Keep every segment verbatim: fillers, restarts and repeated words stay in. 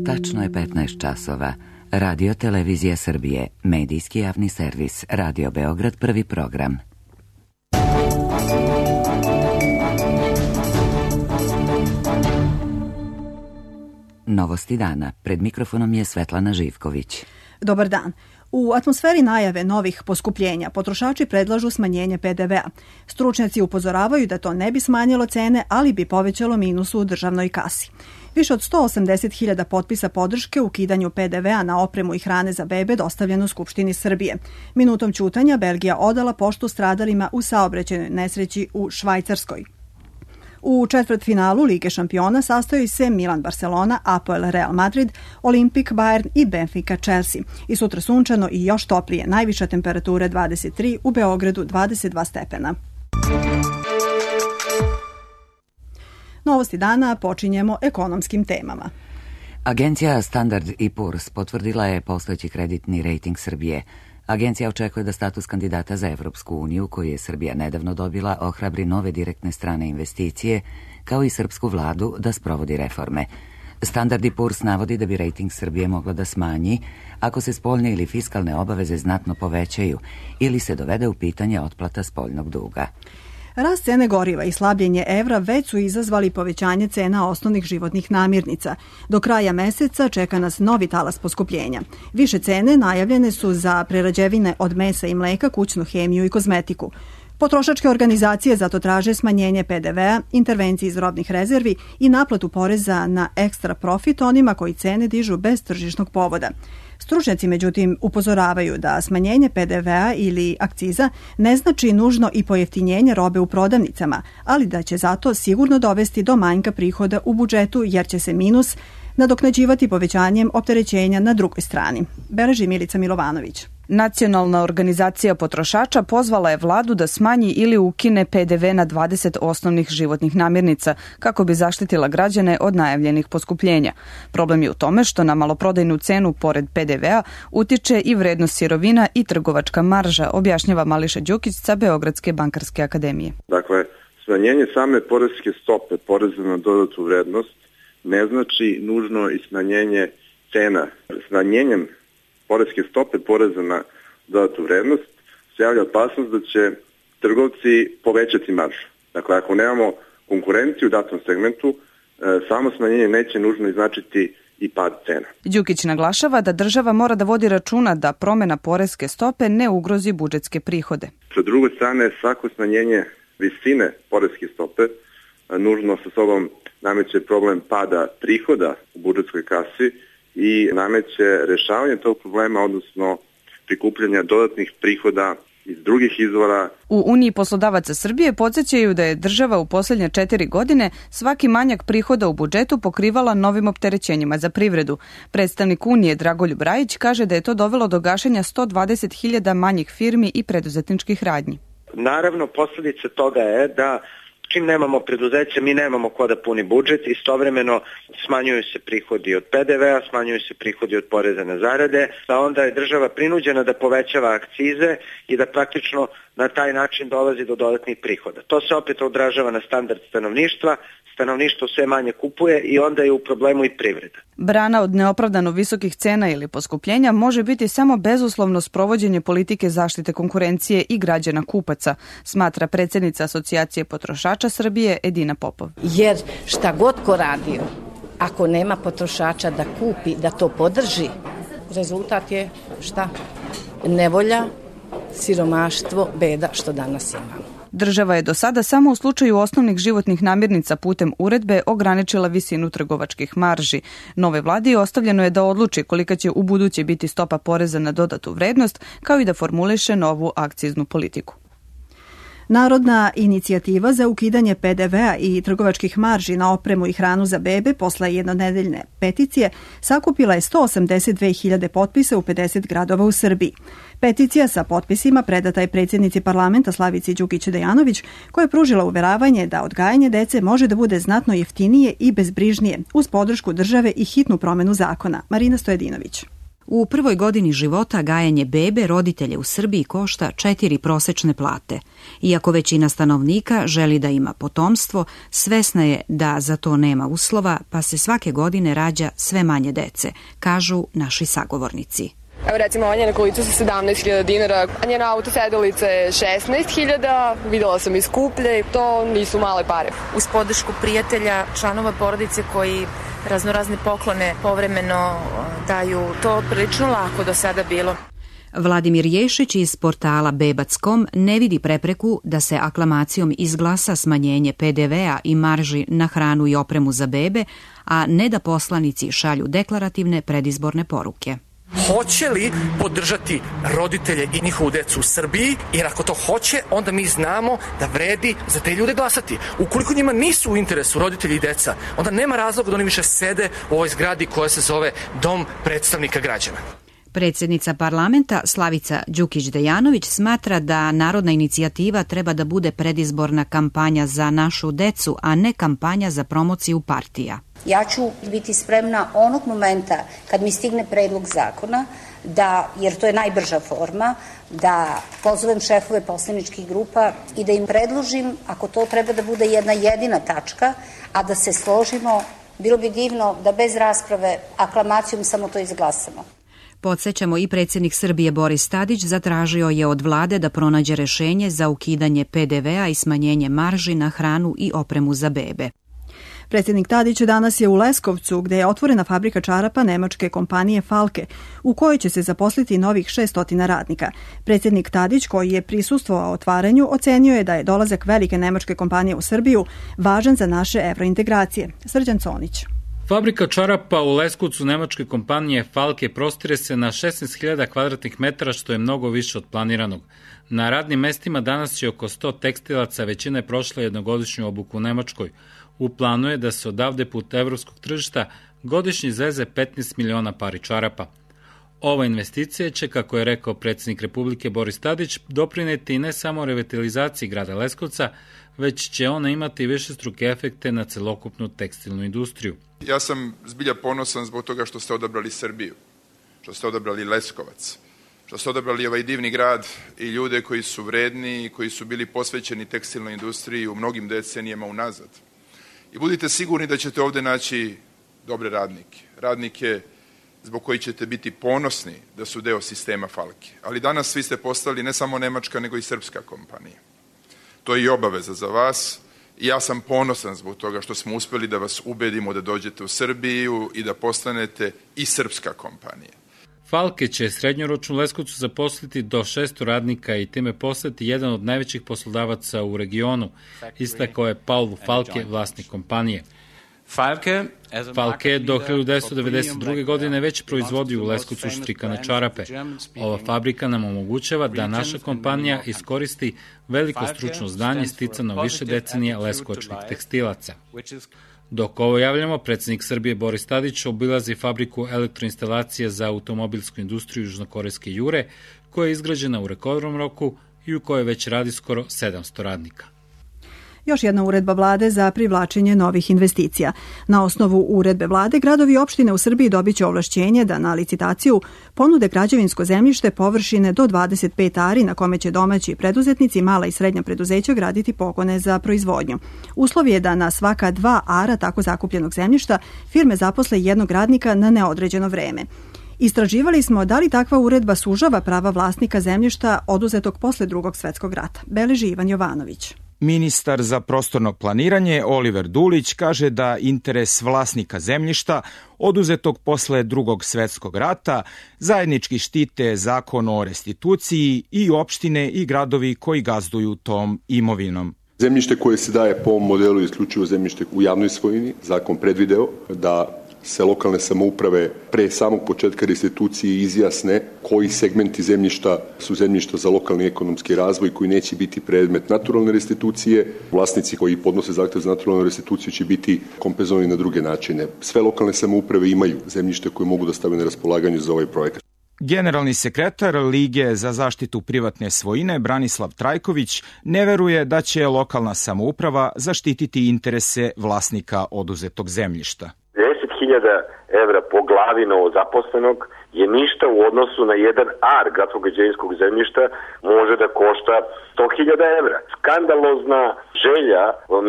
Tačno je petnaest časova. Radio Televizija Srbije, medijski javni servis, Radio Beograd, prvi program. Novosti dana. Pred mikrofonom je Svetlana Živković. Dobar dan. U atmosferi najave novih poskupljenja potrošači predlažu smanjenje pe de vea. Stručnjaci upozoravaju da to ne bi smanjilo cene, ali bi povećalo minus u državnoj kasi. Više od sto osamdeset hiljada potpisa podrške ukidanju pe de vea na opremu i hrane za bebe dostavljeno Skupštini Srbije. Minutom ćutanja Belgija odala poštu stradalima u saobraćajnoj nesreći u Švajcarskoj. U četvrtfinalu Lige šampiona sastoji se Milan Barcelona, Apoel Real Madrid, Olimpik Bayern i Benfica Chelsea. I sutra sunčano i još toplije, najviša temperatura dvadeset tri, u Beogradu dvadeset dva stepena. Novosti dana počinjemo ekonomskim temama. Agencija Standard and Poor's potvrdila je postojeći kreditni rejting Srbije. Agencija očekuje da status kandidata za Evropsku uniju, koju je Srbija nedavno dobila, ohrabri nove direktne strane investicije, kao i srpsku vladu da sprovodi reforme. Standard and Poor's navodi da bi rejting Srbije mogla da smanji ako se spoljne ili fiskalne obaveze znatno povećaju ili se dovede u pitanje otplata spoljnog duga. Rast cene goriva i slabljenje evra već su izazvali povećanje cena osnovnih životnih namirnica. Do kraja meseca čeka nas novi talas poskupljenja. Više cene najavljene su za prerađevine od mesa i mleka, kućnu hemiju i kozmetiku. Potrošačke organizacije zato traže smanjenje pe de vea, intervencije iz robnih rezervi i naplatu poreza na ekstra profit onima koji cene dižu bez tržišnog povoda. Stručnjaci, međutim, upozoravaju da smanjenje pe de vea ili akciza ne znači nužno i pojeftinjenje robe u prodavnicama, ali da će zato sigurno dovesti do manjka prihoda u budžetu jer će se minus nadoknađivati povećanjem opterećenja na drugoj strani. Beleži Milica Milovanović. Nacionalna organizacija potrošača pozvala je vladu da smanji ili ukine pe de ve na dvadeset osnovnih životnih namirnica kako bi zaštitila građane od najavljenih poskupljenja. Problem je u tome što na maloprodajnu cenu pored pe de vea utiče i vrednost sirovina i trgovačka marža, objašnjava Mališa Đukić sa Beogradske bankarske akademije. Dakle, smanjenje same poreske stope poreza na dodatu vrednost ne znači nužno i smanjenje cena. Smanjenjem poreske stope poreza na dodatu vrednost se javlja opasnost da će trgovci povećati maržu. Dakle, ako nemamo konkurenciju u datom segmentu, samo smanjenje neće nužno značiti i pad cena. Đukić naglašava da država mora da vodi računa da promena poreske stope ne ugrozi budžetske prihode. Sa druge strane, svako smanjenje visine poreske stope nužno sa sobom nameće problem pada prihoda u budžetskoj kasi i nameće rešavanje tog problema, odnosno prikupljanja dodatnih prihoda iz drugih izvora. U Uniji poslodavaca Srbije podsjećaju da je država u posljednje četiri godine svaki manjak prihoda u budžetu pokrivala novim opterećenjima za privredu. Predstavnik Unije Dragoljub Rajić kaže da je to dovelo do gašenja sto dvadeset hiljada manjih firmi i preduzetničkih radnji. Naravno, posljedica toga je da čim nemamo preduzeće, mi nemamo ko da puni budžet, istovremeno smanjuju se prihodi od pe de vea, smanjuju se prihodi od poreza na zarade, a onda je država prinuđena da povećava akcize i da praktično na taj način dolazi do dodatnih prihoda. To se opet odražava na standard stanovništva, stanovništvo sve manje kupuje i onda je u problemu i privreda. Brana od neopravdano visokih cena ili poskupljenja može biti samo bezuslovno sprovođenje politike zaštite konkurencije i građana kupaca, smatra predsjednica Asocijacije potrošača Srbije Edina Popov. Jer šta god ko radio, ako nema potrošača da kupi, da to podrži, rezultat je šta? Nevolja, siromaštvo, beda što danas imamo. Država je do sada samo u slučaju osnovnih životnih namirnica putem uredbe ograničila visinu trgovačkih marži. Nove vladi ostavljeno je da odluči kolika će u buduće biti stopa poreza na dodatu vrednost, kao i da formuliše novu akciznu politiku. Narodna inicijativa za ukidanje pe de vea i trgovačkih marži na opremu i hranu za bebe posle jednonedeljne peticije sakupila je sto osamdeset dve hiljade potpisa u pedeset gradova u Srbiji. Peticija sa potpisima predata je predsjednici parlamenta Slavici Đukić Dejanović, koja je pružila uveravanje da odgajanje dece može da bude znatno jeftinije i bezbrižnije uz podršku države i hitnu promenu zakona. Marina Stojedinović. U prvoj godini života gajanje bebe roditelje u Srbiji košta četiri prosečne plate. Iako većina stanovnika želi da ima potomstvo, svesna je da za to nema uslova, pa se svake godine rađa sve manje dece, kažu naši sagovornici. Evo recimo, ova njena kolica su sedamnaest hiljada dinara, a njena auto sedelica je šesnaest hiljada, videla sam i skuplje, to nisu male pare. Uz podršku prijatelja, članova porodice koji raznorazne poklone povremeno daju, to prilično lako do sada bilo. Vladimir Ješić iz portala bebac tačka com ne vidi prepreku da se aklamacijom izglasa smanjenje pe de vea i marži na hranu i opremu za bebe, a ne da poslanici šalju deklarativne predizborne poruke. Hoće li podržati roditelje i njihovu decu u Srbiji, jer ako to hoće, onda mi znamo da vredi za te ljude glasati. Ukoliko njima nisu u interesu roditelji i deca, onda nema razloga da oni više sede u ovoj zgradi koja se zove Dom predstavnika građana. Predsjednica parlamenta Slavica Đukić-Dejanović smatra da narodna inicijativa treba da bude predizborna kampanja za našu decu, a ne kampanja za promociju partija. Ja ću biti spremna onog momenta kad mi stigne predlog zakona, da, jer to je najbrža forma, da pozovem šefove poslaničkih grupa i da im predložim, ako to treba da bude jedna jedina tačka, a da se složimo, bilo bi divno da bez rasprave aklamacijom samo to izglasamo. Podsjećamo, i predsjednik Srbije Boris Tadić zatražio je od vlade da pronađe rešenje za ukidanje pe de vea i smanjenje marži na hranu i opremu za bebe. Predsjednik Tadić danas je u Leskovcu, gde je otvorena fabrika čarapa nemačke kompanije Falke, u kojoj će se zaposliti novih šesto radnika. Predsjednik Tadić, koji je prisustvovao otvaranju, ocenio je da je dolazak velike nemačke kompanije u Srbiju važan za naše evrointegracije. Srđan Conić. Fabrika čarapa u Leskovcu nemačke kompanije Falke prostire se na šesnaest hiljada kvadratnih metara, što je mnogo više od planiranog. Na radnim mestima danas će oko sto tekstilaca, većina je prošla jednogodišnju obuku u Nemačkoj. U planu je da se odavde put evropskog tržišta godišnje izveze petnaest miliona pari čarapa. Ova investicija će, kako je rekao predsjednik Republike Boris Tadić, doprineti ne samo revitalizaciji grada Leskovca, već će ona imati višestruke efekte na celokupnu tekstilnu industriju. Ja sam zbilja ponosan zbog toga što ste odabrali Srbiju, što ste odabrali Leskovac, što ste odabrali ovaj divni grad i ljude koji su vredni i koji su bili posvećeni tekstilnoj industriji u mnogim decenijama unazad. I budite sigurni da ćete ovde naći dobre radnike, radnike zbog koji ćete biti ponosni da su deo sistema Falke. Ali danas svi ste postali ne samo nemačka, nego i srpska kompanija. To je i obaveza za vas i ja sam ponosan zbog toga što smo uspeli da vas ubedimo da dođete u Srbiju i da postanete i srpska kompanija. Falke će srednjoročno u Leskovcu zaposliti do šesto radnika i time postati jedan od najvećih poslodavaca u regionu, istakao je Paul Falke, vlasnik kompanije. Falke je do hiljadu devetsto devedeset druge. godine već proizvodio u Leskovcu štrikane čarape. Ova fabrika nam omogućava da naša kompanija iskoristi veliko stručno znanje sticano više decenija leskovačkih tekstilaca. Dok ovo javljamo, predsjednik Srbije Boris Tadić obilazi fabriku elektroinstalacije za automobilsku industriju južnokorejske Jure, koja je izgrađena u rekordnom roku i u kojoj već radi skoro sedamsto radnika. Još jedna uredba vlade za privlačenje novih investicija. Na osnovu uredbe vlade, gradovi i opštine u Srbiji dobit će ovlašćenje da na licitaciju ponude građevinsko zemljište površine do dvadeset pet ari na kome će domaći preduzetnici, mala i srednja preduzeća graditi pogone za proizvodnju. Uslov je da na svaka dva ara tako zakupljenog zemljišta firme zaposle jednog radnika na neodređeno vreme. Istraživali smo da li takva uredba sužava prava vlasnika zemljišta oduzetog posle Drugog svetskog rata. Beleži Ivan Jovanović. Ministar za prostorno planiranje Oliver Dulić kaže da interes vlasnika zemljišta oduzetog posle Drugog svetskog rata zajednički štite zakon o restituciji i opštine i gradovi koji gazduju tom imovinom. Zemljište koje se daje po ovom modelu je isključivo zemljište u javnoj svojini. Zakon predvideo da se lokalne samouprave pre samog početka restitucije izjasne koji segmenti zemljišta su zemljišta za lokalni ekonomski razvoj koji neće biti predmet naturalne restitucije. Vlasnici koji podnose zahtev za naturalnu restituciju će biti kompenzovani na druge načine. Sve lokalne samouprave imaju zemljište koje mogu da stave na raspolaganju za ovaj projekat. Generalni sekretar Lige za zaštitu privatne svojine Branislav Trajković ne veruje da će lokalna samouprava zaštititi interese vlasnika oduzetog zemljišta. hiljada evra po glavi novozaposlenog je ništa u odnosu na jedan ar gradsko-građevinskog zemljišta može da košta sto hiljada evra. Skandalozna želja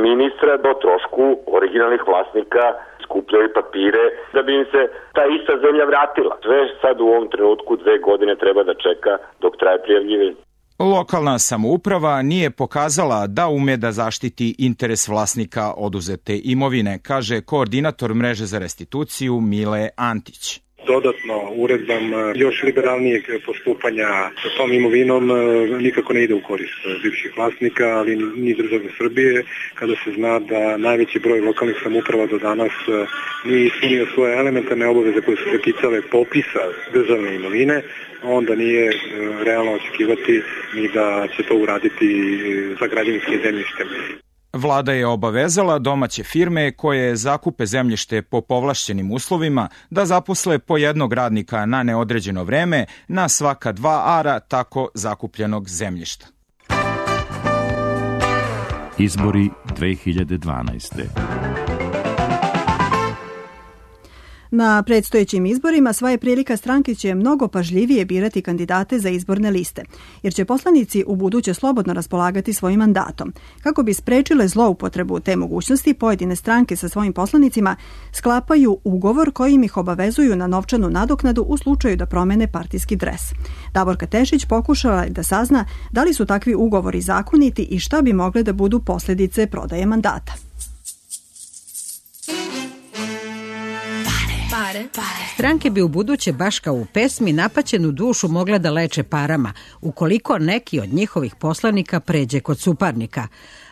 ministra do trošku originalnih vlasnika skupljaju papire da bi im se ta ista zemlja vratila. Sve sad u ovom trenutku dve godine treba da čeka dok traje prijavljivanje. Lokalna samouprava nije pokazala da ume da zaštiti interes vlasnika oduzete imovine, kaže koordinator mreže za restituciju Mile Antić. Dodatno uredbama još liberalnijeg postupanja sa tom imovinom nikako ne ide u korist bivših vlasnika, ali ni države Srbije, kada se zna da najveći broj lokalnih samouprava do danas nije ispunio svoje elementarne obaveze koje su se ticale popisa državne imovine, onda nije realno očekivati ni da će to uraditi sa građevinskim zemljištem. Vlada je obavezala domaće firme koje zakupe zemljište po povlašćenim uslovima da zaposle po jednog radnika na neodređeno vreme na svaka dva ara tako zakupljenog zemljišta. Izbori dve hiljade dvanaeste. Na predstojećim izborima sva je prilika stranke će mnogo pažljivije birati kandidate za izborne liste, jer će poslanici u buduće slobodno raspolagati svojim mandatom. Kako bi sprečile zloupotrebu te mogućnosti, pojedine stranke sa svojim poslanicima sklapaju ugovor kojim ih obavezuju na novčanu nadoknadu u slučaju da promene partijski dres. Davorka Tešić pokušala je da sazna da li su takvi ugovori zakoniti i šta bi mogle da budu posljedice prodaje mandata. Pare, pare. Stranke bi u buduće baš kao u pesmi napaćenu dušu mogle da leče parama, ukoliko neki od njihovih poslanika pređe kod suparnika.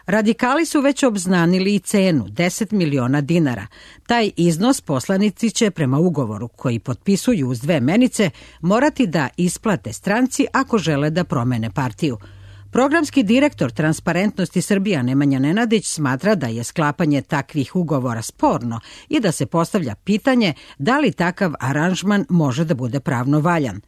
Radikali su već obznanili i cenu, deset miliona dinara. Taj iznos poslanici će prema ugovoru koji potpisuju uz dve menice morati da isplate stranci ako žele da promene partiju. Programski direktor Transparentnosti Srbija Nemanja Nenadić smatra da je sklapanje takvih ugovora sporno i da se postavlja pitanje da li takav aranžman može da bude pravno valjan.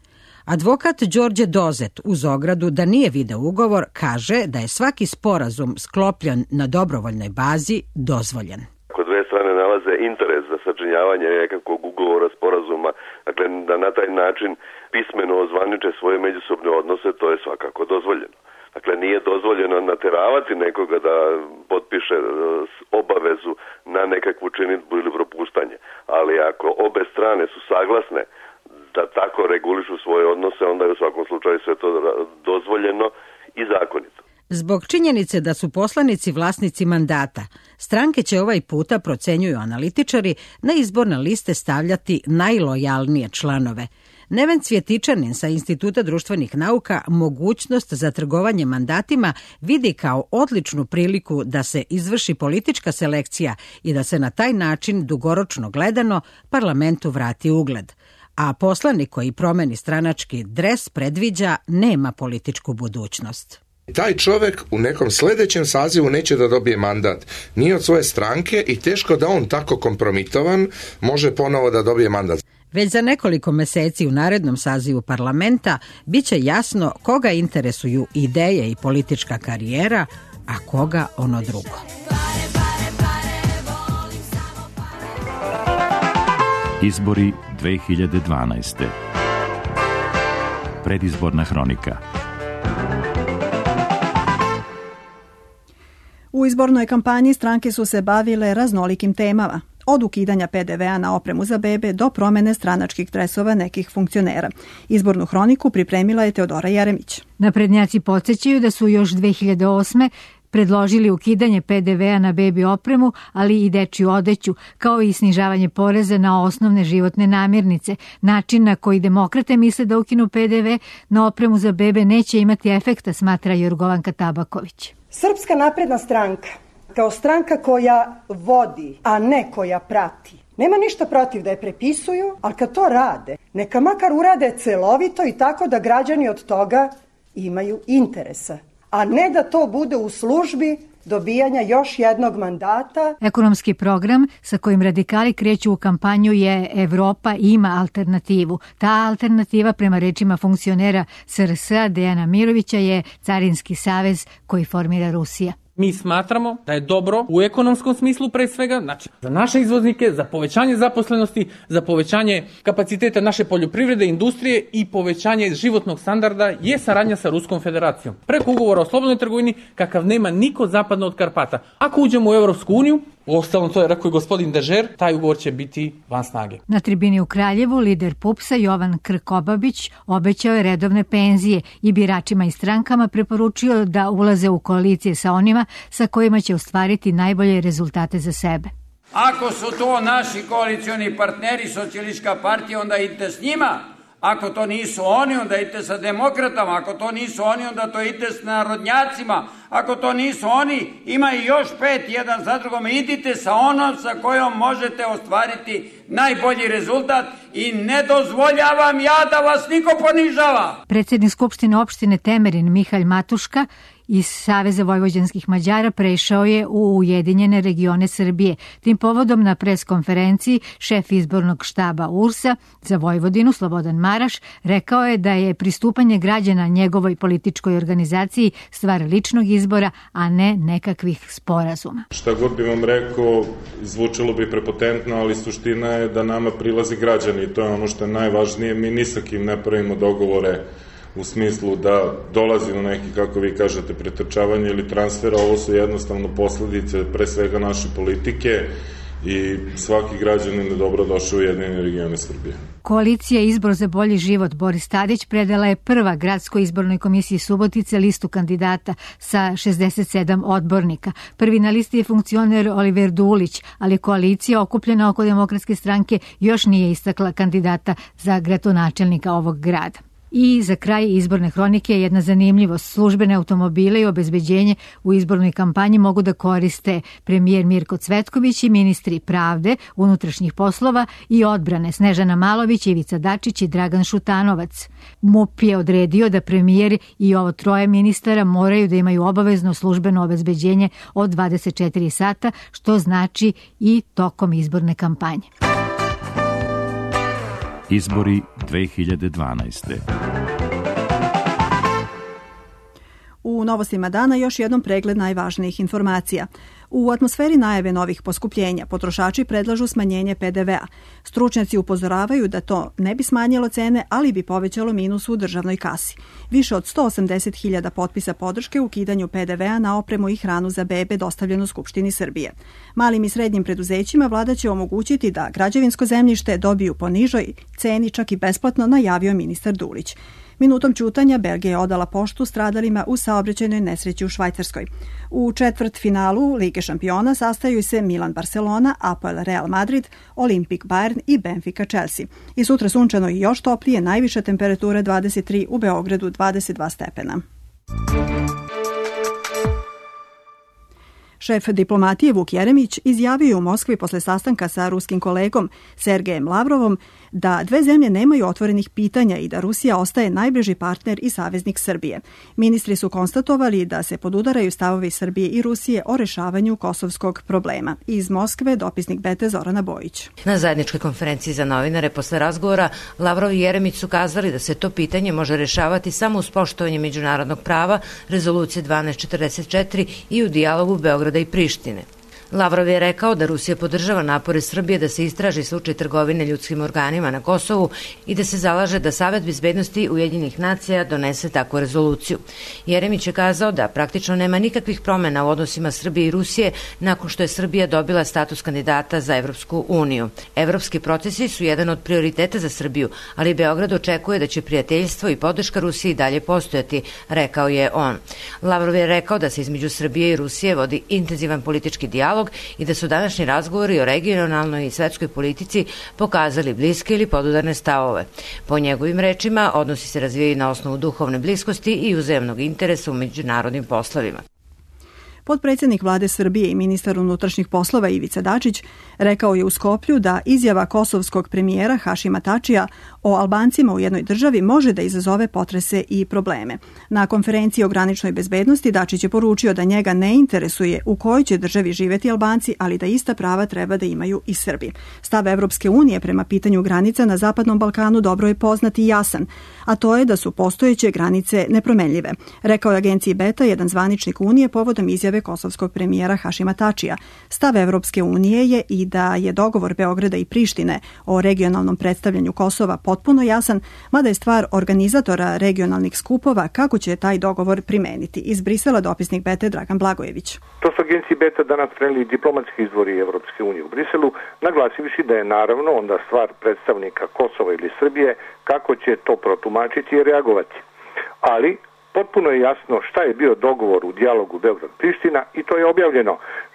Advokat Đorđe Dozet uz ogradu da nije video ugovor kaže da je svaki sporazum sklopljen na dobrovoljnoj bazi dozvoljen. Ako dve strane nalaze interes za sačinjavanje nekakvog ugovora, sporazuma, dakle da na taj način pismeno ozvaniče svoje međusobne odnose, to je svakako dozvoljeno. Dakle, nije dozvoljeno nateravati nekoga da potpiše obavezu na nekakvu činidbu ili propuštanje. Ali ako obe strane su saglasne da tako regulišu svoje odnose, onda je u svakom slučaju sve to dozvoljeno i zakonito. Zbog činjenice da su poslanici vlasnici mandata, stranke će ovaj puta, procenjuju analitičari, na izborne liste stavljati najlojalnije članove. Neven Cvjetičanin sa Instituta društvenih nauka mogućnost za trgovanje mandatima vidi kao odličnu priliku da se izvrši politička selekcija i da se na taj način dugoročno gledano parlamentu vrati ugled. A poslanik koji promeni stranački dres predviđa nema političku budućnost. Taj čovjek u nekom sljedećem sazivu neće da dobije mandat ni od svoje stranke i teško da on tako kompromitovan može ponovo da dobije mandat. Već za nekoliko meseci u narednom sazivu parlamenta bit će jasno koga interesuju ideje i politička karijera, a koga ono drugo. Izbori dve hiljade dvanaeste. Predizborna hronika. U izbornoj kampanji stranke su se bavile raznolikim temama. Od ukidanja pe de vea na opremu za bebe do promene stranačkih dresova nekih funkcionera. Izbornu hroniku pripremila je Teodora Jeremić. Naprednjaci podsjećaju da su još dve hiljade osme predložili ukidanje pe de vea na bebi opremu, ali i dečju odeću, kao i snižavanje poreza na osnovne životne namirnice. Način na koji demokrate misle da ukinu pe de ve na opremu za bebe neće imati efekta, smatra Jorgovanka Tabaković. Srpska napredna stranka, kao stranka koja vodi, a ne koja prati, nema ništa protiv da je prepisuju, ali kad to rade, neka makar urade celovito i tako da građani od toga imaju interesa, a ne da to bude u službi dobijanja još jednog mandata. Ekonomski program sa kojim radikali kreću u kampanju je Evropa ima alternativu. Ta alternativa, prema rečima funkcionera es er es a Dejana Mirovića, je Carinski savez koji formira Rusija. Mi smatramo da je dobro u ekonomskom smislu pre svega, znači za naše izvoznike, za povećanje zaposlenosti, za povećanje kapaciteta naše poljoprivrede, industrije i povećanje životnog standarda je saradnja sa Ruskom federacijom. Preko ugovora o slobodnoj trgovini kakav nema niko zapadno od Karpata. Ako uđemo u Evropsku uniju, uostalom to je rekao i gospodin Dežer, taj ugovor će biti van snage. Na tribini u Kraljevu lider PUPS-a Jovan Krkobabić obećao je redovne penzije i biračima i strankama preporučio da ulaze u koalicije sa onima sa kojima će ostvariti najbolje rezultate za sebe. Ako su to naši koalicioni partneri, Socijalistička partija, onda idite s njima. Ako to nisu oni, onda idite sa demokratama. Ako to nisu oni, onda to idite s narodnjacima. Ako to nisu oni, ima i još pet, jedan za drugom. Idite sa onom sa kojom možete ostvariti najbolji rezultat i ne dozvoljavam ja da vas niko ponižava. Predsjednik Skupštine opštine Temerin Mihalj Matuška iz Saveza vojvođanskih Mađara prešao je u Ujedinjene regione Srbije. Tim povodom na preskonferenciji šef izbornog štaba U R S-a za Vojvodinu Slobodan Maraš rekao je da je pristupanje građana njegovoj političkoj organizaciji stvar ličnog izbora, a ne nekakvih sporazuma. Šta god bi vam rekao, zvučalo bi prepotentno, ali suština je da nama prilazi građani i to je ono što je najvažnije. Mi ni sa kim ne pravimo dogovore u smislu da dolazi do neki, kako vi kažete, pretrčavanja ili transfera. Ovo su jednostavno posledice pre svega naše politike i svaki građanin je dobro došao u Ujedinjene regione Srbije. Koalicija Izbor za bolji život Boris Tadić predala je prva gradskoj izbornoj komisiji Subotice listu kandidata sa šezdeset sedam odbornika. Prvi na listi je funkcioner Oliver Dulić, ali koalicija okupljena oko Demokratske stranke još nije istakla kandidata za gradonačelnika ovog grada. I za kraj izborne hronike jedna zanimljivost. Službene automobile i obezbeđenje u izbornoj kampanji mogu da koriste premijer Mirko Cvetković i ministri pravde, unutrašnjih poslova i odbrane Snežana Malović, Ivica Dačić i Dragan Šutanovac. MUP je odredio da premijer i ovo troje ministara moraju da imaju obavezno službeno obezbeđenje od dvadeset četiri sata, što znači i tokom izborne kampanje. Izbori dve hiljade dvanaeste. U novostima dana još jednom pregled najvažnijih informacija. U atmosferi najave novih poskupljenja potrošači predlažu smanjenje P D V-a. Stručnjaci upozoravaju da to ne bi smanjilo cene, ali bi povećalo minus u državnoj kasi. Više od sto osamdeset hiljada potpisa podrške u ukidanju P D V-a na opremu i hranu za bebe dostavljeno Skupštini Srbije. Malim i srednjim preduzećima vlada će omogućiti da građevinsko zemljište dobiju po nižoj ceni, čak i besplatno, najavio ministar Dulić. Minutom ćutanja Belgija je odala poštu stradalima u saobraćajnoj nesreći u Švajcarskoj. U četvrt finalu Lige šampiona sastaju se Milan Barcelona, Apoel Real Madrid, Olimpik Bayern i Benfica Chelsea. I sutra sunčano i još toplije, najviša temperatura dvadeset tri, u Beogradu dvadeset dva stepena. Šef diplomatije Vuk Jeremić izjavio je u Moskvi posle sastanka sa ruskim kolegom Sergejem Lavrovom da dve zemlje nemaju otvorenih pitanja i da Rusija ostaje najbliži partner i saveznik Srbije. Ministri su konstatovali da se podudaraju stavovi Srbije i Rusije o rešavanju kosovskog problema. Iz Moskve dopisnik B T Zorana Bojić. Na zajedničkoj konferenciji za novinare posle razgovora Lavrov i Jeremić su kazali da se to pitanje može rešavati samo uz poštovanje međunarodnog prava, rezolucije dvanaest četrdeset četiri i u dijalogu Beograda i Prištine. Lavrov je rekao da Rusija podržava napore Srbije da se istraži slučaj trgovine ljudskim organima na Kosovu i da se zalaže da Savet bezbednosti Ujedinjenih nacija donese takvu rezoluciju. Jeremić je kazao da praktično nema nikakvih promena u odnosima Srbije i Rusije nakon što je Srbija dobila status kandidata za Evropsku uniju. Evropski procesi su jedan od prioriteta za Srbiju, ali Beograd očekuje da će prijateljstvo i podrška Rusiji dalje postojati, rekao je on. Lavrov je rekao da se između Srbije i Rusije vodi intenzivan politički dijalog i da su današnji razgovori o regionalnoj i svetskoj politici pokazali bliske ili podudarne stavove. Po njegovim rečima, odnosi se razvijaju na osnovu duhovne bliskosti i uzajamnog interesa u međunarodnim poslovima. Potpredsjednik vlade Srbije i ministar unutrašnjih poslova Ivica Dačić rekao je u Skoplju da izjava kosovskog premijera Hašima Tačija o Albancima u jednoj državi može da izazove potrese i probleme. Na konferenciji o graničnoj bezbednosti Dačić je poručio da njega ne interesuje u kojoj će državi živeti Albanci, ali da ista prava treba da imaju i Srbi. Stav Evropske unije prema pitanju granica na Zapadnom Balkanu dobro je poznat i jasan, a to je da su postojeće granice nepromenljive. Rekao je agenciji Beta jedan zvaničnik Unije povodom izjave izjave kosovskog premijera Hašima Tačija. Stav Evropske unije je i da je dogovor Beograda i Prištine o regionalnom predstavljanju Kosova potpuno jasan, mada je stvar organizatora regionalnih skupova kako će taj dogovor primeniti. Iz Brisela dopisnik Bete Dragan Blagojević. To su agenciji Beta danas preneli diplomatski izvori Evropske unije u Briselu, naglasivši da je naravno onda stvar predstavnika Kosova ili Srbije kako će to protumačiti i reagovati. Ali potpuno je jasno šta je bio dogovor u dijalogu Beograd-Priština i to je objavljeno.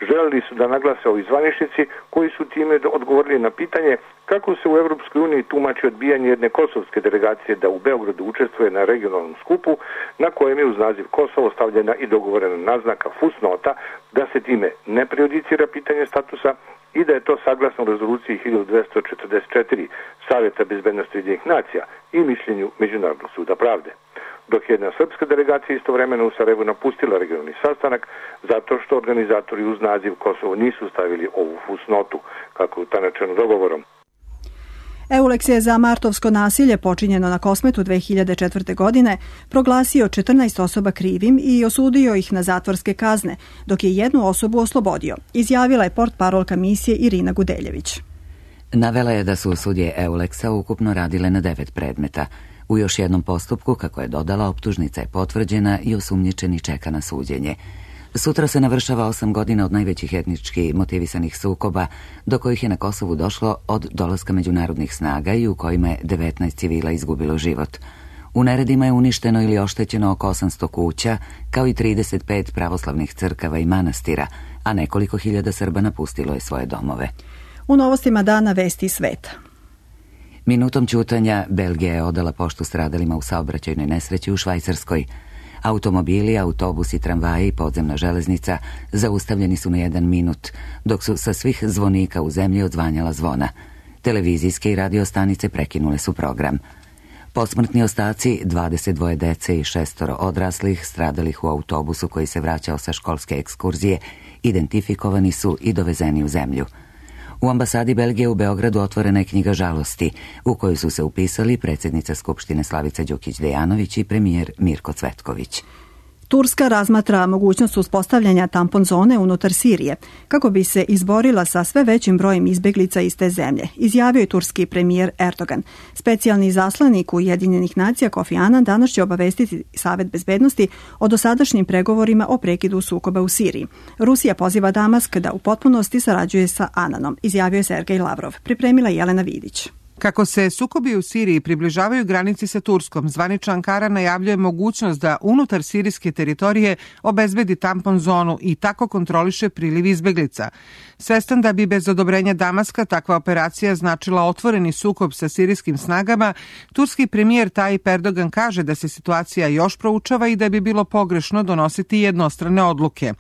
Želeli su da naglase ovi zvaničnici koji su time odgovorili na pitanje kako se u Evropskoj uniji tumači odbijanje jedne kosovske delegacije da u Beogradu učestvuje na regionalnom skupu na kojem je uz naziv Kosovo stavljena i dogovorena naznaka fusnota da se time ne prejudicira pitanje statusa i da je to saglasno rezoluciji hiljadu dvesta četrdeset četiri Savjeta bezbednosti Ujedinjenih nacija i mišljenju Međunarodnog suda pravde. Dok je jedna srpska delegacija istovremeno u Sarajevu napustila regionalni sastanak zato što organizatori uz naziv Kosovo nisu stavili ovu fusnotu kako je utanačeno dogovorom. Euleks je za martovsko nasilje počinjeno na Kosmetu dve hiljade četvrte. godine proglasio četrnaest osoba krivim i osudio ih na zatvorske kazne, dok je jednu osobu oslobodio, izjavila je portparolka misije Irina Gudeljević. Navela je da su sudije Euleksa ukupno radile na devet predmeta. U još jednom postupku, kako je dodala, optužnica je potvrđena i osumnjičeni čeka na suđenje. Sutra se navršava osam godina od najvećih etnički motivisanih sukoba do kojih je na Kosovu došlo od dolaska međunarodnih snaga i u kojima je devetnaest civila izgubilo život. U neredima je uništeno ili oštećeno oko osamsto kuća, kao i trideset pet pravoslavnih crkava i manastira, a nekoliko hiljada Srba napustilo je svoje domove. U novostima dana vesti sveta. Minutom ćutanja Belgija je odala poštu stradalima u saobraćajnoj nesreći u Švajcarskoj. Automobili, autobusi, tramvaji i podzemna železnica zaustavljeni su na jedan minut, dok su sa svih zvonika u zemlji odzvanjala zvona. Televizijske i radio stanice prekinule su program. Posmrtni ostaci dvadeset dvoje dece i šestoro odraslih stradalih u autobusu koji se vraćao sa školske ekskurzije identifikovani su i dovezeni u zemlju. U ambasadi Belgije u Beogradu otvorena je knjiga žalosti, u kojoj su se upisali predsjednica Skupštine Slavica Đukić-Dejanović i premijer Mirko Cvetković. Turska razmatra mogućnost uspostavljanja tampon zone unutar Sirije, kako bi se izborila sa sve većim brojem izbjeglica iz te zemlje, izjavio je turski premijer Erdogan. Specijalni zaslanik Ujedinjenih nacija Kofi Annan danas će obavestiti Savet bezbednosti o dosadašnjim pregovorima o prekidu sukoba u Siriji. Rusija poziva Damask da u potpunosti sarađuje sa Annanom, izjavio je Sergej Lavrov. Pripremila Jelena Vidić. Kako se sukobi u Siriji približavaju granici sa Turskom, zvanična Ankara najavljuje mogućnost da unutar sirijske teritorije obezbedi tampon zonu i tako kontroliše priliv izbeglica. Svestan da bi bez odobrenja Damaska takva operacija značila otvoreni sukob sa sirijskim snagama, turski premijer Tayyip Erdogan kaže da se situacija još proučava i da bi bilo pogrešno donositi jednostrane odluke.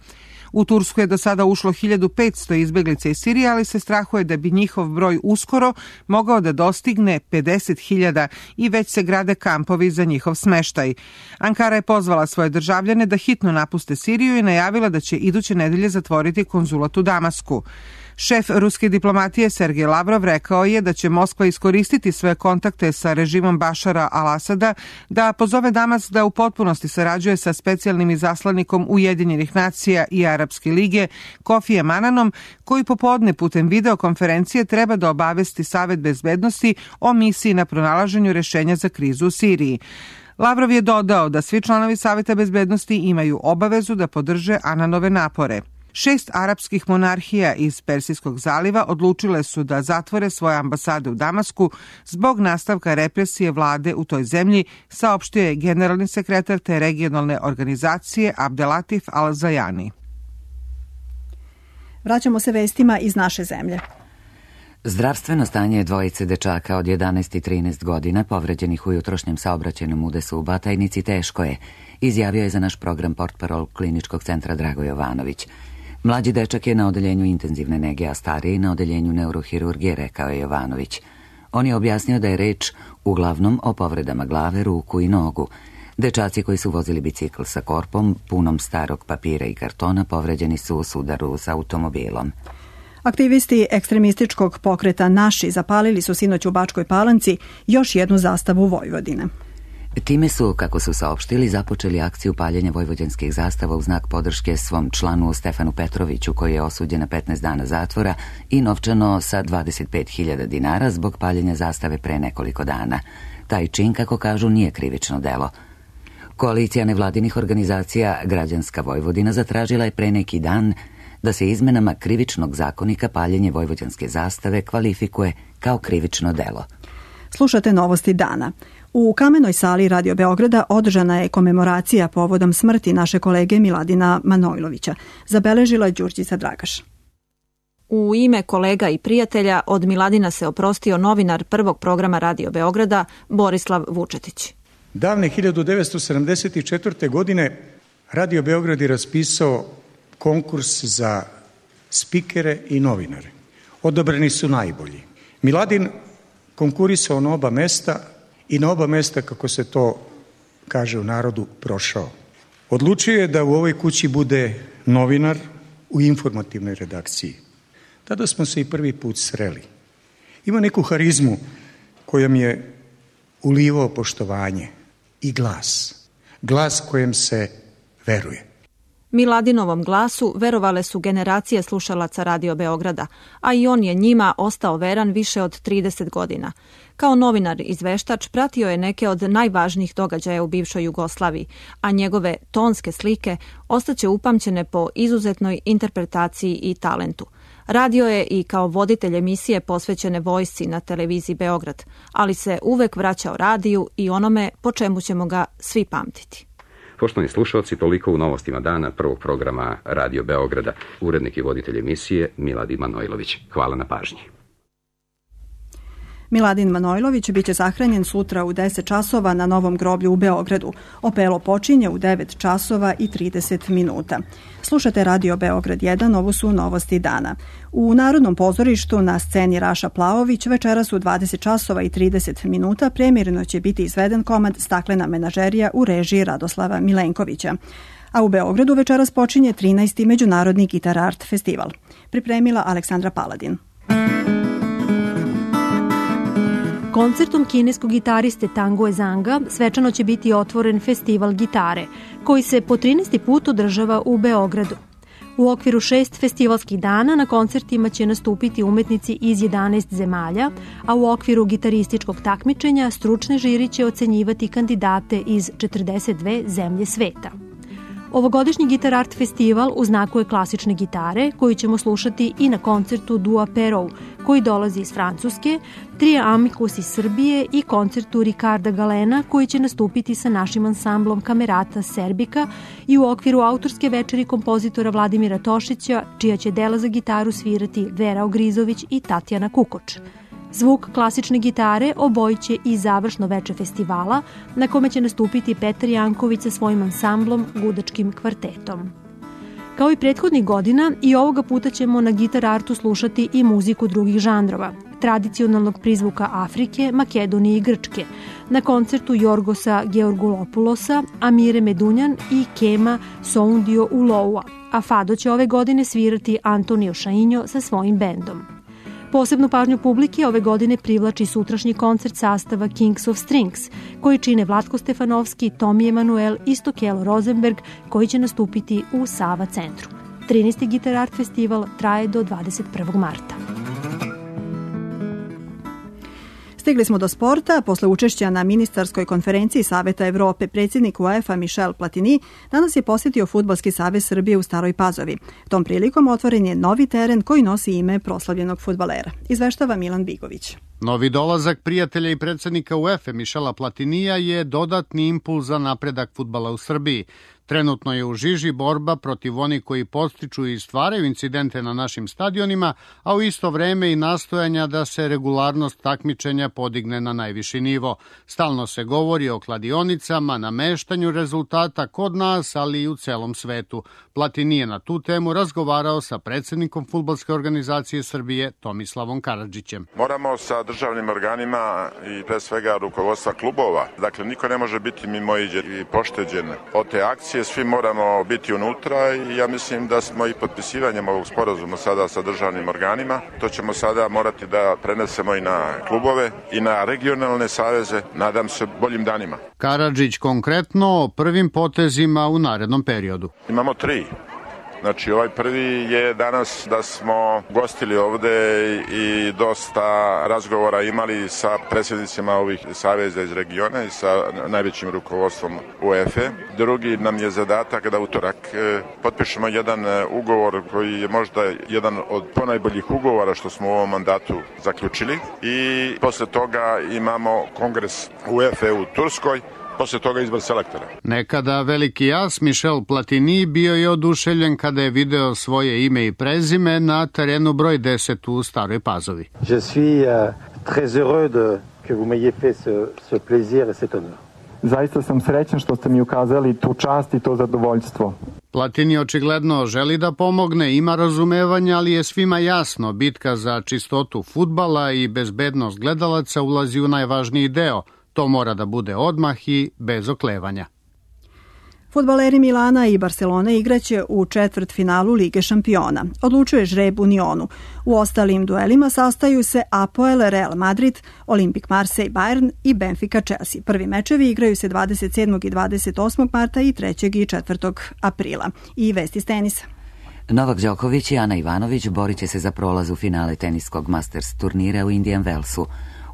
U Tursku je do sada ušlo hiljadu petsto izbeglica iz Sirije, ali se strahuje da bi njihov broj uskoro mogao da dostigne pedeset hiljada i već se grade kampovi za njihov smeštaj. Ankara je pozvala svoje državljane da hitno napuste Siriju i najavila da će iduće nedelje zatvoriti konzulat u Damasku. Šef ruske diplomatije Sergej Lavrov rekao je da će Moskva iskoristiti svoje kontakte sa režimom Bašara al-Asada da pozove Damask da u potpunosti sarađuje sa specijalnim izaslanikom Ujedinjenih nacija i Arapske lige Kofijem Annanom, koji popodne putem videokonferencije treba da obavesti Savet bezbednosti o misiji na pronalaženju rešenja za krizu u Siriji. Lavrov je dodao da svi članovi Saveta bezbednosti imaju obavezu da podrže Annanove napore. Šest arapskih monarhija iz Persijskog zaliva odlučile su da zatvore svoje ambasade u Damasku zbog nastavka represije vlade u toj zemlji, saopštio je generalni sekretar te regionalne organizacije Abdelatif Al-Zajani. Vraćamo se vestima iz naše zemlje. Zdravstveno stanje dvojice dečaka od jedanaest i trinaest godina povređenih u jutrošnjem saobraćajnom udesu u Batajnici teško je, izjavio je za naš program portparol Kliničkog centra Drago Jovanović. Mlađi dečak je na odeljenju intenzivne nege, a stariji na odeljenju neurohirurgije, rekao je Jovanović. On je objasnio da je reč uglavnom o povredama glave, ruku i nogu. Dečaci koji su vozili bicikl sa korpom, punom starog papira i kartona, povređeni su u sudaru sa automobilom. Aktivisti ekstremističkog pokreta Naši zapalili su sinoć u Bačkoj Palanci još jednu zastavu Vojvodine. Time su, kako su saopštili, započeli akciju paljenja vojvođanskih zastava u znak podrške svom članu Stefanu Petroviću, koji je osuđen na petnaest dana zatvora i novčano sa dvadeset pet hiljada dinara zbog paljenja zastave pre nekoliko dana. Taj čin, kako kažu, nije krivično delo. Koalicija nevladinih organizacija Građanska Vojvodina zatražila je pre neki dan da se izmenama krivičnog zakonika paljenje vojvođanske zastave kvalifikuje kao krivično delo. Slušate novosti dana. U Kamenoj sali Radio Beograda održana je komemoracija povodom smrti naše kolege Miladina Manojlovića. Zabeležila je Đurđica Dragaš. U ime kolega i prijatelja od Miladina se oprostio novinar prvog programa Radio Beograda Borislav Vučetić. Davne hiljadu devetsto sedamdeset četvrte. godine Radio Beograd je raspisao konkurs za spikere i novinare. Odabrani su najbolji. Miladin konkurisao na oba mesta i na oba mesta, kako se to kaže u narodu, prošao. Odlučio je da u ovoj kući bude novinar u informativnoj redakciji. Tada smo se i prvi put sreli. Ima neku harizmu kojom je ulivao poštovanje i glas. Glas kojem se veruje. Miladinovom glasu verovale su generacije slušalaca Radio Beograda, a i on je njima ostao veran više od trideset godina. Kao novinar izveštač pratio je neke od najvažnijih događaja u bivšoj Jugoslaviji, a njegove tonske slike ostaće upamćene po izuzetnoj interpretaciji i talentu. Radio je i kao voditelj emisije posvećene vojsci na televiziji Beograd, ali se uvek vraćao radiju i onome po čemu ćemo ga svi pamtiti. Poštovani slušalci, toliko u novostima dana prvog programa Radio Beograda. Urednik i voditelj emisije Miladin Manojlović. Hvala na pažnji. Miladin Manojlović biće sahranjen sutra u deset časova na Novom groblju u Beogradu. Opelo počinje u devet časova i trideset minuta. Slušate Radio Beograd jedan, ovo su novosti dana. U Narodnom pozorištu na sceni Raša Plaović večeras u dvadeset časova i trideset minuta premijerno će biti izveden komad Staklena menažerija u režiji Radoslava Milenkovića. A u Beogradu večeras počinje trinaesti Međunarodni Gitar Art festival. Pripremila Aleksandra Paladin. Koncertom kineskog gitariste Tango Zanga svečano će biti otvoren festival gitare, koji se po trinaesti put održava u Beogradu. U okviru šest festivalskih dana na koncertima će nastupiti umetnici iz jedanaest zemalja, a u okviru gitarističkog takmičenja stručne žiri će ocenjivati kandidate iz četrdeset dve zemlje sveta. Ovogodišnji Gitar Art festival u znaku je klasične gitare, koju ćemo slušati i na koncertu Dua Perou, koji dolazi iz Francuske, Tria Amicus iz Srbije i koncertu Ricarda Galena, koji će nastupiti sa našim ansamblom Kamerata Serbika i u okviru autorske večeri kompozitora Vladimira Tošića, čija će dela za gitaru svirati Vera Ogrizović i Tatjana Kukoč. Zvuk klasične gitare obojiće i završno veče festivala, na kome će nastupiti Petar Janković sa svojim ansamblom Gudačkim kvartetom. Kao i prethodnih godina, i ovoga puta ćemo na Gitar Artu slušati i muziku drugih žanrova, tradicionalnog prizvuka Afrike, Makedonije i Grčke, na koncertu Jorgosa Georgulopulosa, Amire Medunjan i Kema Soundio Uloua, a Fado će ove godine svirati Antonio Šainjo sa svojim bendom. Posebnu pažnju publike ove godine privlači sutrašnji koncert sastava Kings of Strings, koji čine Vlatko Stefanovski, Tomi Emanuel i Stokelo Rosenberg, koji će nastupiti u Sava centru. trinaesti Gitar Art festival traje do dvadeset prvog marta. Stigli smo do sporta. Posle učešća na ministarskoj konferenciji Saveta Evrope, predsjednik UEFA Michel Platini danas je posjetio Fudbalski savez Srbije u Staroj Pazovi. Tom prilikom otvoren je novi teren koji nosi ime proslavljenog fudbalera. Izveštava Milan Bigović. Novi dolazak prijatelja i predsjednika UEFA Michela Platinija je dodatni impuls za napredak fudbala u Srbiji. Trenutno je u žiži borba protiv onih koji podstiču i stvaraju incidente na našim stadionima, a u isto vreme i nastojanja da se regularnost takmičenja podigne na najviši nivo. Stalno se govori o kladionicama, nameštanju rezultata kod nas, ali i u celom svetu. Platini je na tu temu razgovarao sa predsjednikom Fudbalske organizacije Srbije Tomislavom Karadžićem. Moramo sa državnim organima i pre svega rukovodstva klubova, dakle niko ne može biti mimoiđen i pošteđen od te akcije, federacije, svi moramo biti unutra i ja mislim da smo i potpisivanjem ovog sporazuma sada sa državnim organima, to ćemo sada morati da prenesemo i na klubove i na regionalne saveze, nadam se boljim danima. Karadžić konkretno o prvim potezima u narednom periodu. Imamo tri. Znači, ovaj prvi je danas da smo gostili ovde i dosta razgovora imali sa predsjednicima ovih saveza iz regiona i sa najvećim rukovodstvom UEFA. Drugi nam je zadatak da utorak potpišemo jedan ugovor koji je možda jedan od ponajboljih ugovora što smo u ovom mandatu zaključili i posle toga imamo kongres UEFA u Turskoj. Posle toga izbor selektora. Nekada veliki as Michel Platini bio je oduševljen kada je video svoje ime i prezime na terenu broj deset u Staroj Pazovi. Je suis uh, très heureux de que vous m'ayez fait ce, ce plaisir et cet honneur. Zaista sam srećan što ste mi ukazali tu čast i to zadovoljstvo. Platini očigledno želi da pomogne, ima razumevanja, ali je svima jasno, bitka za čistotu fudbala i bezbednost gledalaca ulazi u najvažniji deo. To mora da bude odmah i bez oklevanja. Fudbaleri Milana i Barcelone igraće u četvrtfinalu Lige šampiona. Odlučuje žreb u Nionu. U ostalim duelima sastaju se Apoel Real Madrid, Olympique Marseille Bayern i Benfica Chelsea. Prvi mečevi igraju se dvadeset sedmog i dvadeset osmog marta i trećeg i četvrtog aprila. I vesti s tenisa. Novak Đoković i Ana Ivanović borit će se za prolaz u finale teniskog Masters turnira u Indian Wellsu.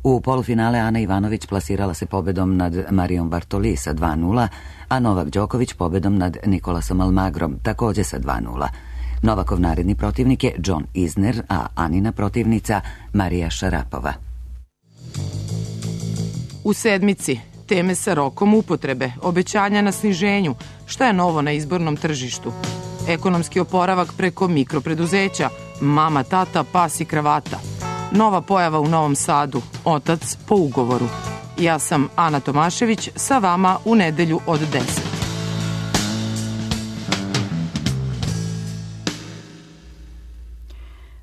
U polufinale Ana Ivanović plasirala se pobedom nad Marijom Bartoli sa dva nula, a Novak Đoković pobedom nad Nikolasom Almagrom, takođe sa dva nula. Novakov naredni protivnik je John Isner, a Anina protivnica Marija Šarapova. U sedmici teme sa rokom upotrebe, obećanja na sniženju, šta je novo na izbornom tržištu, ekonomski oporavak preko mikropreduzeća, mama, tata, pas i kravata. Nova pojava u Novom Sadu, otac po ugovoru. Ja sam Ana Tomašević, sa vama u nedelju od deset.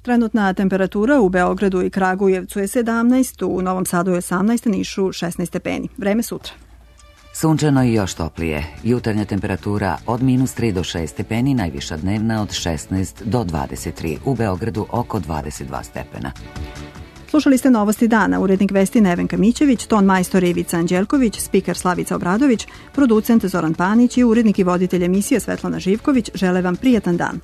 Trenutna temperatura u Beogradu i Kragujevcu je sedamnaest, u Novom Sadu je osamnaest, Nišu šesnaest stepeni. Vreme sutra. Sunčano i još toplije. Jutarnja temperatura od minus tri do šest stepeni, najviša dnevna od šesnaest do dvadeset tri. U Beogradu oko dvadeset dva stepena. Slušali ste Novosti dana, urednik vesti Nevenka Mićević, ton majstor Ivica Anđelković, spiker Slavica Obradović, producent Zoran Panić i urednik i voditelj emisije Svetlana Živković žele vam prijatan dan.